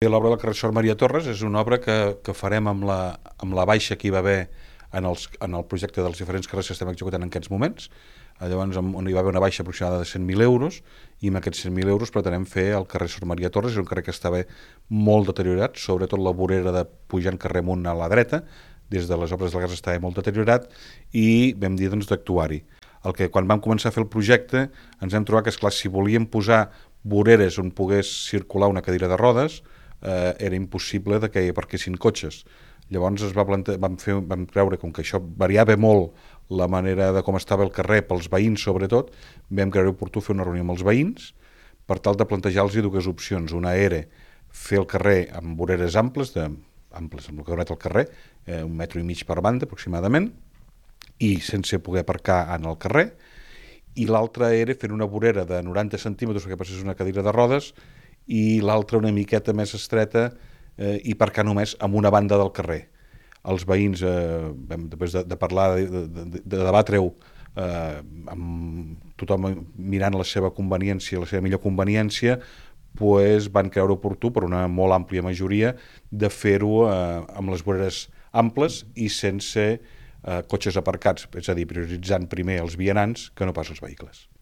L'obra del carrer Sor Maria Torres és una obra que farem amb la baixa que hi va haver en el projecte dels diferents carrers que estem executant en aquests moments. Llavors, on hi va haver una baixa aproximada de 100.000 euros, i amb aquests 100.000 euros pretenem fer el carrer Sor Maria Torres. És un carrer que estava molt deteriorat, sobretot la vorera de pujant carrer amunt a la dreta, des de les obres del gas estava molt deteriorat, i vam dir d'actuar-hi. Quan vam començar a fer el projecte ens vam trobar que, esclar, si volíem posar voreres on pogués circular una cadira de rodes, era impossible que hi aparquessin cotxes. Llavors vam creure, com que això variava molt la manera de com estava el carrer pels veïns sobretot, vam creure oportú fer una reunió amb els veïns per tal de plantejar-los dues opcions. Una era fer el carrer amb voreres amples amb el que donat el carrer, 1,5 metres per banda aproximadament, i sense poder aparcar en el carrer, i l'altra era fer una vorera de 90 centímetres perquè passés una cadira de rodes, i l'altra una miqueta més estreta i aparcar només amb una banda del carrer. Els veïns, després de parlar, de debatre-ho, amb tothom mirant la seva conveniència, la seva millor conveniència, van creure oportú, per una molt àmplia majoria, de fer-ho amb les voreres amples i sense cotxes aparcats, és a dir, prioritzant primer els vianants que no pas els vehicles.